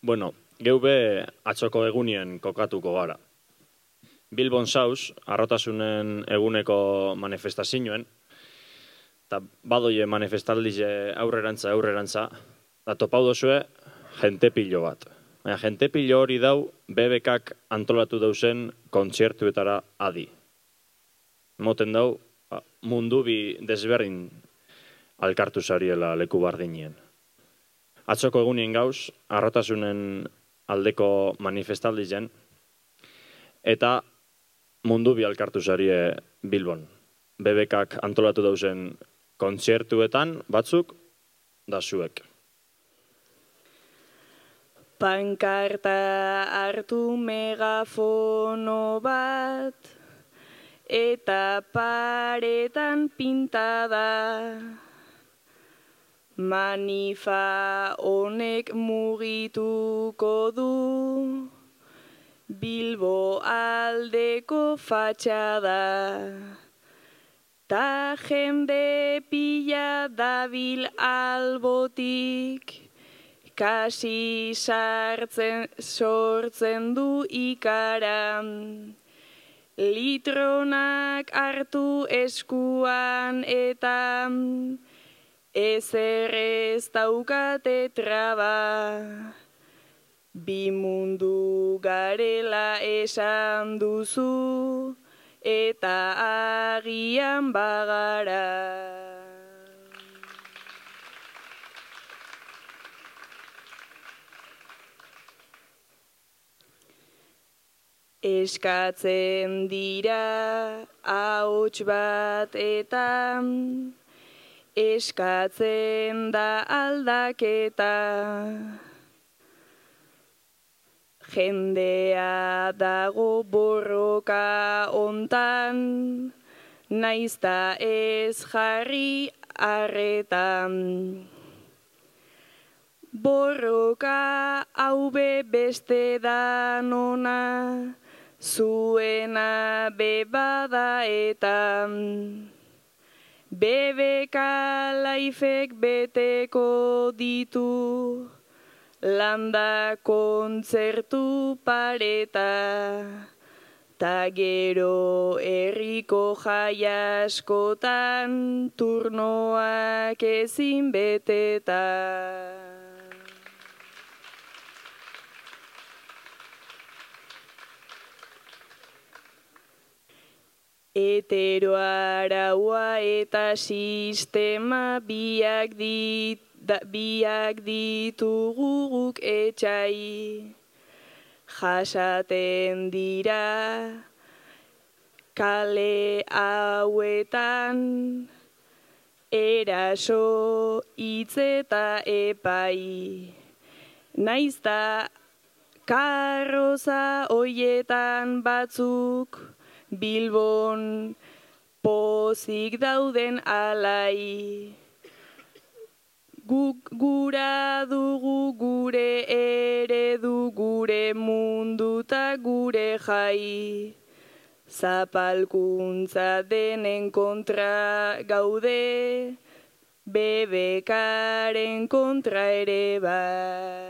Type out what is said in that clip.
Bueno, geube atzoko egunien kokatuko gara. Bilbon zauz, arrotasunen eguneko manifestazioen, eta badoie manifestaldize aurrerantza, eta topau dozue jente pilo bat. Baina jente pilo hori dau, BBKak antolatu dauzen kontzertuetara adi. Moten dau, mundu bi desberdin alkartu zariela leku bardinien. Atzoko egunien gauz, arrotasunen aldeko manifestaldizen, eta mundu bi alkartu zarie Bilbon. BBKak antolatu dauzen kontzertuetan batzuk da zuek. Pankarta hartu megafono bat, eta paretan pintada. Manifa honek mugituko du Bilbo aldeko fatxada. Ta jende pila dabil albotik, kasi sortzen du ikaran. Litronak hartu eskuan eta ezer ez daukate traba. Bi mundu garela esan duzu, eta agian bagara. Eskatzen dira ahots bat eta eskatzen da aldaketa. Jendea dago borroka hontan, naizta ez jarri arretan. Borroka haube beste danona, zuena bebada eta BBK laifek beteko ditu, landa kontzertu pareta. Ta gero herriko jai askotan, turnoak ezin beteta. Heteroaraua eta sistema biak ditugu guk etxai. Jasaten dira kale hauetan, eraso hitz eta epai. Naizta karroza hoietan batzuk, Bilbon pozik dauden alai. Gura dugu gure eredu, gure mundu ta gure jai. Zapalkuntza denen kontra gaude, BBKaren kontra ere bai.